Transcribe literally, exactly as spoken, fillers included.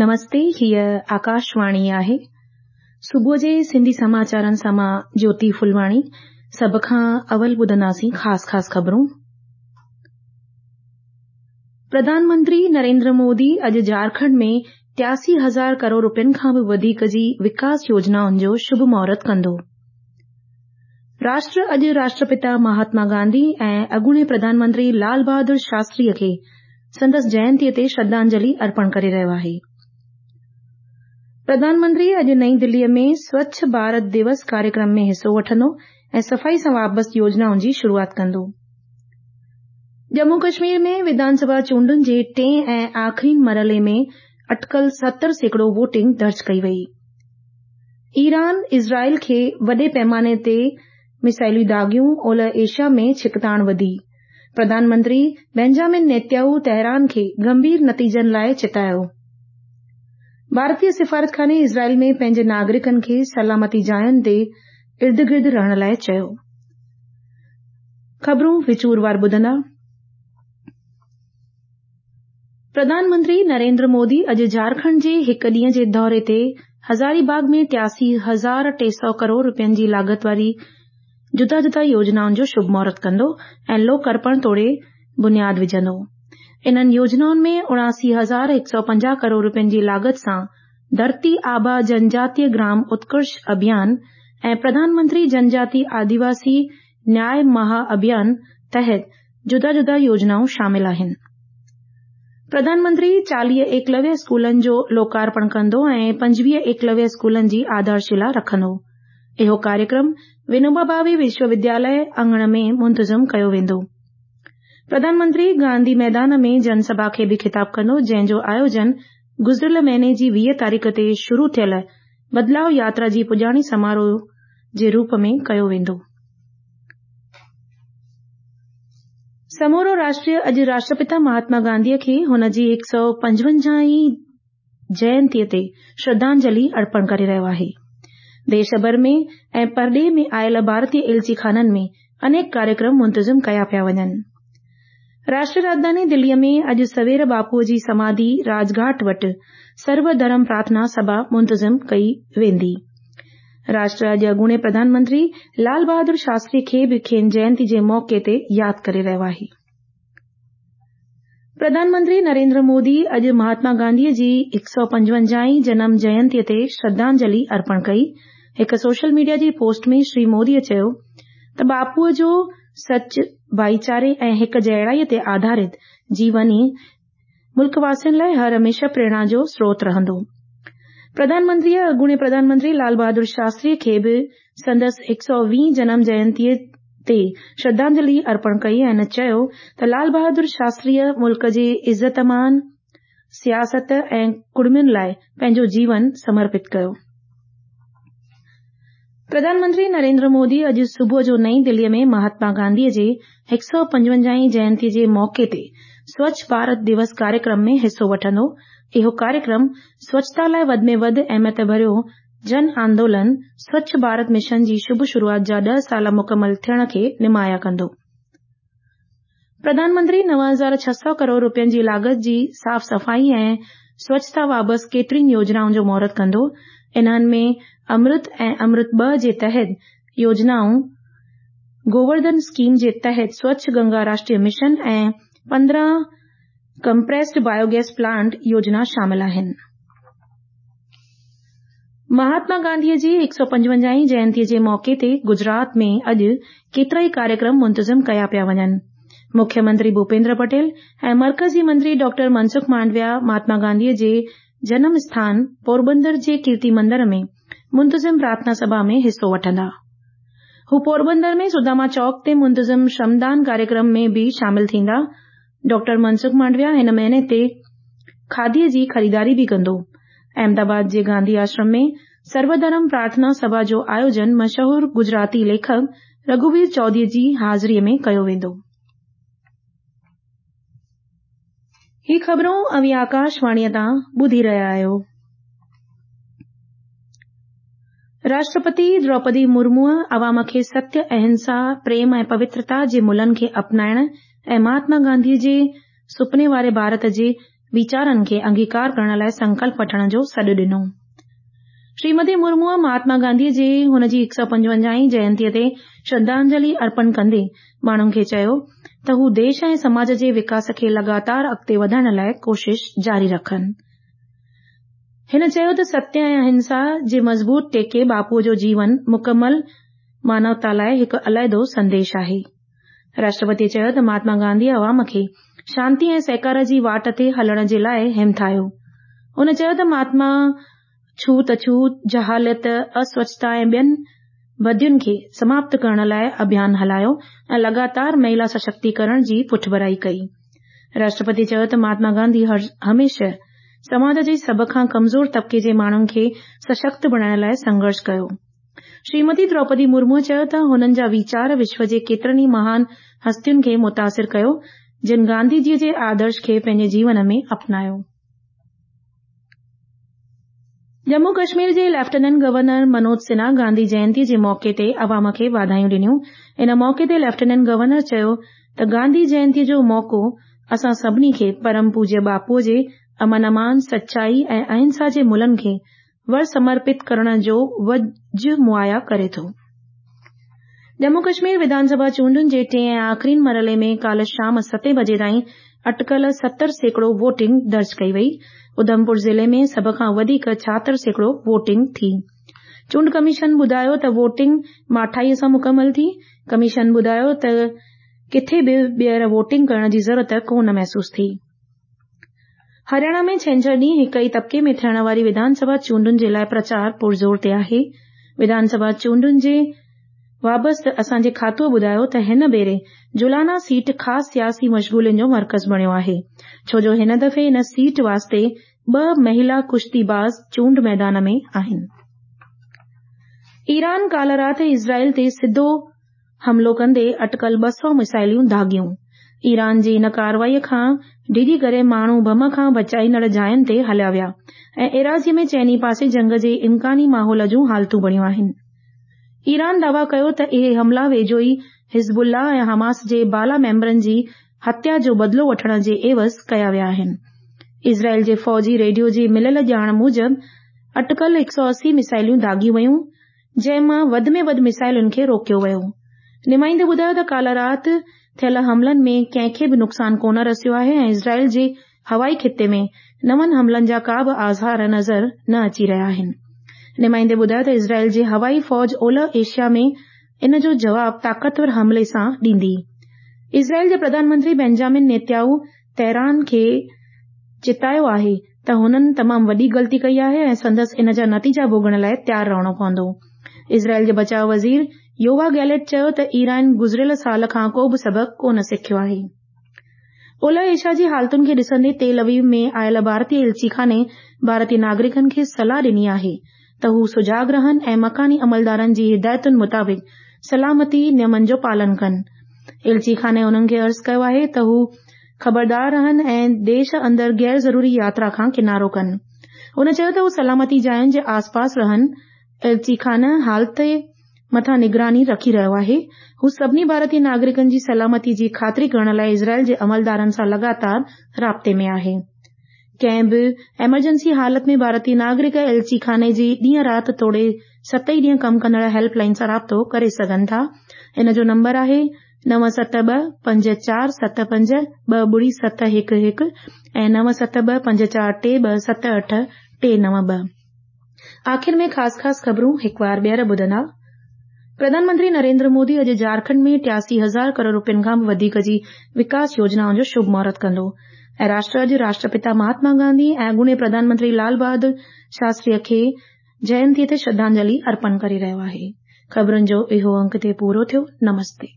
نمستي، هيء آڪاشواڻي آهي. صبح جي سنڌي سماچارن سان مان جيوتي ڦلواڻي. سڀ کان اول ٻڌنداسين خاص خاص خبرون. پرڌان منتري نريندر مودي اڄ جهارکنڊ ۾ ٽياسي هزار ڪروڙ روپين کان به وڌيڪ جي وڪاس يوجنائن جو شڀ مهورت ڪندو. راشٽر اڄ راشٽرپتا مهاتما گانڌي ۽ اڳوڻي پرڌان منتري لال بهادر شاستري کي سندس جينتيء تي شرڌانجلي ارپڻ ڪري رهيو آهي. پرڌان منتري اڄ نئين دليء ۾ سوڇ ڀارت دوس ڪاريڪرم ۾ حصو وٺندو ۽ صفائي سان وابسته يوجنائن جي شروعات ڪندو. ڄمون ڪشمير ۾ وڌان سڀا چونڊن جي ٽئين ۽ آخرين مرحلي ۾ اٽڪل ستر سيڪڙو ووٽنگ درج ڪئي وئي. ايران اسرائيل کي وڏي پيماني تي ميسائلون داغيون، اولهه ايشيا ۾ ڇڪتاڻ وڌي. پرڌان منتري بينجامن نيتنياهو تهران کي گنڀير نتيجن لاءِ چتايو. ڀارتي سفارتخاني اسرائيل ۾ پنهنجي ناگرڪن کي سلامتي جاين تي ارد گرد رهڻ لاءِ چيو. خبرون وچوروار ٻڌندا. پرڌان منتري نريندر مودي اڄ جهارکنڊ جي هڪ ڏينهن جي دوري تي هزاري باغ ۾ ٽياسي هزار ٽي سؤ ڪروڙ روپين جي لاڳت واري جدا جدا يوجنائن جو شڀ مهورت ڪندو ۽ لوڪ ارپڻ توڙي بنياد وجهندو. انهن يوجنائن ۾ اڻاسي هزار هڪ سؤ پنجاهه ڪروڙ روپين جي لاڳت سان ڌرتي آبا جنجاتيه گرام اتڪرش اڀيان ۽ پرڌان منتري جنجاتي آديواسي نياءِ مها اڀيان تحت جدا جدا يوجنائون شامل آهن. پرڌان منتري چاليهه ايڪلويه اسڪولن جو لوڪارپڻ ڪندو ۽ پنجويهه ايڪلويه اسڪولن جي آڌارشلا رکندو. اهو ڪاريڪرم ونوبا ڀاوي وشو ودياليه اڱڻ ۾ منتظم ڪيو ويندو. پرڌان منتري گانڌي ميدان ۾ جنسڀا کي به خطاب ڪندو، جنهن جو آيوجن گذريل مهيني جي ويهه تاريخ تي شروع ٿيل بدلاءُ ياترا جي پڄاڻي سماروهه جي روپ ۾ ڪيو ويندو. سمورو راشٽر اڄ راشٽرپتا مهاتما گانڌيءَ کي هن جي هڪ سؤ پنجونجاهين جينتيءَ تي شرڌانجلي ارپڻ ڪري رهيو آهي. ديش ڀر ۾ ۽ پرڏيهه ۾ آيل ڀارتيه ايلچيخانن ۾ انيڪ ڪاريڪرم منتظم ڪيا پيا وڃن. راشٽريه راڄڌاني دليءَ ۾ اڄ سوير باپوءَ جي سماڌي راجگهاٽ وٽ سرو ڌرم پرارٿنا سڀا منتظم ڪئي ويندي. راشٽر اڄ اڳوڻي پرڌان منتري لال بهادر شاستري کي به کين جينتي جي موقعي تي ياد ڪري رهيو آهي. پرڌان منتري نريندر مودي اڄ مهاتما گانڌيءَ جي هڪ سؤ پنجونجاهين جنم جينتيءَ تي شرڌانجلي ارپڻ ڪئي. هڪ سوشل ميڊيا جي پوسٽ ۾ شري موديءَ چيو ته باپوءَ جو سچ، ڀائيچاري ۽ هڪ جهڙائيءَ تي آڌارت جيوني ملڪ واسين لاءِ هر هميشه پريرڻا جو سروت رهندو. پرڌان منتريءَ اڳوڻي پرڌان منتري لال بهادر شاستري کي به سندس هڪ سؤ ويهين جنم جينتيءَ تي شرڌانجلي ارپڻ ڪئي ۽ چيو ته لال بهادر شاستريءَ ملڪ جي عزت مان، سياست ۽ ڪڙمين لاءِ پنهنجو جيون سمرپت ڪيو. پرڌان منتري نريندر مودي اڄ صبح جو نئين دليءَ ۾ مهاتما گانڌيءَ جي هڪ سؤ پنجونجاهين جينتيءَ جي موقعي تي سوڇ ڀارت دوس ڪاريڪرم ۾ حصو وٺندو. اهو ڪاريڪرم سوڇتا لاءِ وڌ ۾ وڌ اهميت ڀريو جن آندولن سوڇ ڀارت مشن جي شڀ شروعات جا ڏهه سال مڪمل ٿيڻ کي نمايان ڪندو. پرڌان منتري نو هزار ڇهه سؤ ڪروڙ روپين جي لاڳت جي صاف صفائي ۽ سوڇتا وابسته ڪيترين يوجنائن جو مهورت ڪندو. انهن ۾ امرت ۽ امرت ٻه جي تحت يوجنائون، گوورڌن اسڪيم جي تحت سوڇ گنگا راشٽريه مشن ۽ پندرهن ڪمپريسڊ بايوگيس پلانٽ يوجنا شامل آهن. مهاتما گانڌيءَ جي هڪ سؤ پنجونجاهين جينتيءَ جي موقعي تي گجرات ۾ اڄ ڪيترائي ڪاريڪرم منتظم ڪيا پيا وڃن. مکيه منتري ڀوپيندر پٽيل ۽ مرڪزي منتري ڊاڪٽر منسک مانڊويا مهاتما گانڌيءَ جي جنم اسٿان پوربندر جي ڪيرتي مندر ۾ منتظم پرارٿنا سڀا ۾ حصو وٺندا. هو پوربندر ۾ سداما چوڪ تي منتظم شرمدان ڪاريڪرم ۾ به شامل ٿيندا. ڊاڪٽر منسک مانڊويا هن مهيني تي کاديءَ جي خريداري به ڪندو. احمدآباد جي گانڌي آشرم ۾ سرو ڌرم پرارٿنا سڀا جو آيوجن مشهور گجراتي ليکڪ رگهوير چوڌريءَ جي حاضريءَ ۾ ڪيو ويندو. هي خبرون اوهين آڪاشواڻيءَ تان ٻڌي رهيا آهيو. راشٽرپتي دروپدي مرموءَ عوام کي ستيه، اهنسا، پريم ۽ پوترتا جي ملن کي اپنائڻ ۽ مهاتما گانڌيءَ جي سپني واري ڀارت جي ويچارن کي انگيڪار ڪرڻ لاءِ سنڪلپ وٺڻ جو سڏ ڏنو. شريمتي مرموءَ مهاتما گانڌيءَ جي هن جي هڪ سؤ پنجونجاهين جينتيءَ تي شرڌانجلي ارپڻ ڪندي ماڻهن کي چيو ته هو ديش ۽ سماج جي وڪاس کي لڳاتار اڳتي وڌائڻ لاءِ ڪوشش جاري رکن. هن چيو ته ستيه ۽ اهنسا جي مضبوط ٽيڪي باپوءَ جو جيون مڪمل مانوتا لاءِ هڪ عليحدو سنديش آهي. راشٽرپتيءَ چيو ته مهاتما گانڌيءَ عوام کي شانتي ۽ سهڪار جي واٽ تي هلڻ جي لاءِ همٿايو. هن چيو ته مهاتما ڇوت اڇوت، جهالت، اسوڇتا ۽ ٻين بدين کي سماپت ڪرڻ لاءِ اڀيان هلايو ۽ لڳاتار مهلا سشڪتيڪرڻ جي پٺڀرائي ڪئي. راشٽرپتي چيو ته مهاتما گانڌي هميشه سماج جي سڀ کان ڪمزور طبقي جي ماڻهن کي سشڪت بڻائڻ لاءِ سنگهرش ڪيو. شريمتي دروپدي مرموءَ چيو ته هنن جا ويچار وشو جي ڪيترن ئي مهان هستين کي متاثر ڪيو جن گانڌيجيءَ جي آدرش کي پنهنجي جيون ۾ اپنايو. ڄمون ڪشمير جي ليفٽيننٽ گورنر منوج سنها گانڌي جينتيءَ جي موقعي تي عوام کي واڌايون ڏنيون. ان موقعي تي ليفٽيننٽ گورنر چيو ته گانڌي جينتيءَ جو موقعو اسان سڀني کي پرم پوجيه باپوءَ جي امن امان، سچائي ۽ اهنسا جي ملن کي ور سمرپت ڪرڻ جو وجهه مهيا ڪري ٿو. ڄمون ڪشمير وڌانسڀا چونڊن جي ٽئين ۽ آخرين مرحلي ۾ ڪالهه شام ستين بجي تائين اٽڪل ستر سيڪڙو ووٽنگ درج ڪئي وئي. اڌمپور ضلعي ۾ سڀ کان وڌيڪ ڇاهتر سيڪڙو ووٽنگ ٿي. چونڊ ڪميشن ٻڌايو ته ووٽنگ ماٺائيءَ سان مڪمل ٿي. ڪميشن ٻڌايو ته ڪٿي به ٻيهر ووٽنگ ڪرڻ جي ضرورت ڪونه محسوس ٿي. هرياڻا ۾ ڇنڇر ڏينهن هڪ ئي طبقي ۾ ٿيڻ واري وڌانسڀا چونڊن جي لاءِ پرچار پرزور تي آهي. وڌانسڀا چونڊن جي وابسته اسان جي کاتوءَ ٻڌايو ته هن ڀيري جولانا سيٽ خاص سياسي مشغولين جو مرڪز بڻيو آهي، ڇو جو هن دفعي ان سيٽ واسطي ٻه مهلا ڪشتي باز چونڊ ميدان ۾ آهن. ايران ڪالهه رات اسرائيل تي سڌو حملو ڪندي اٽڪل ٻه سؤ ميزائلون داغيون. ايران جي ان ڪارروائيءَ کان ڊڄي ڪري ماڻهو بم کان بچائيندڙ جاين تي هليا ويا ۽ ايراضيءَ ۾ چئني پاسي جنگ جي امڪاني ماحول جون حالتون بڻيون آهن. ايران دعويٰ ڪيو ته اهي حملا ويجهو ئي حزب الله ۽ حماس جي بالا ميمبرن جي هتيا جو بدلو وٺڻ جي عيوض ڪيا ويا آهن. اسرائيل جي فوجي ريڊيو جي مليل ڄاڻ موجب اٽڪل هڪ سؤ اسي ميزائلون داغيون ويون، جنهن مان وڌ ۾ وڌ ميزائلن کي روڪيو ويو. نمائندي ٻڌايو ته ڪالهه رات ٿيل حملن ۾ ڪنهن کي به نقصان ڪونه رسيو آهي ۽ اسرائيل جي هوائي خطي ۾ نون حملن جا ڪا به آثار نظر نه اچي رهيا آهن. نمائندي ٻڌايو ته اسرائيل جي هوائي فوج اولهه ايشيا ۾ ان جو جواب طاقتور حملي سان ڏيندي. اسرائيل جي پرڌان منتري بينجامن نيتنياهو تهران کي چتايو آهي ته هنن تمام وڏي غلطي ڪئي آهي ۽ سندس ان جا نتيجا ڀوڳڻ لاءِ تيار رهڻو پوندو. اسرائيل جي بچاءُ وزير يووا گيلٽ چيو ته ايران گذريل سال کان ڪو به سبق ڪونه سکيو آهي. اولهه ايشيا جي حالتن کي ڏسندي تيل اويو ۾ آيل ڀارتي ايلچيخاني ڀارتي ناگرڪن کي صلاح ڏني آهي ته هو سجاڳ رهن ۽ مڪاني عملدارن جي هدايتن مطابق سلامتي نيمن جو پالن ڪن. ايلچيخاني انهن کي عرض ڪيو آهي ته هو خبردار رهن ۽ ديش اندر غير ضروري ياترا کان ڪنارو ڪن. هن چيو ته هو سلامتي جاين جي آسپاس رهن. ايلچيخانه حالت مٿان نگراني رکي رهيو آهي. هو سڀني ڀارتي ناگرڪن جي سلامتي جي خاطري ڪرڻ لاءِ اسرائيل جي عملدارن سان لڳاتار رابطي ۾ آهي. ڪنهن به ايمرجنسي حالت ۾ ڀارتي ناگرڪ ايلچيخاني جي ڏينهن رات توڙي ست ئي ڏينهن ڪم ڪندڙ هيلپ لائن سان رابطو ڪري سگهن ٿا. ان جو نمبر آهي نو ست ٻه پنج چار ست پنج ٻه ٻڙي ست هڪ هڪ ۽ نو ست ٻه پنج چار ٽي ٻه ست اٺ ٽي نو ٻه. آخر ۾ خاص خاص خبرون هڪ بار ٻيهر ٻڌندا. پرڌان منتري نريندر مودي اڄ جهارکنڊ ۾ ٽياسي هزار ڪروڙ رپين کان به وڌيڪ جي وڪاس يوجنائن جو شڀ مهورت ڪندو ۽ راشٽر اڄ راشٽرپتا مهاتما گانڌي ۽ اڳوڻي پرڌان منتري لال بهادر شاستريءَ کي جينتيءَ تي شرڌانجلي ارپڻ ڪري رهيو آهي. خبرن جو اهو انڪ هتي پورو ٿيو. نمستي.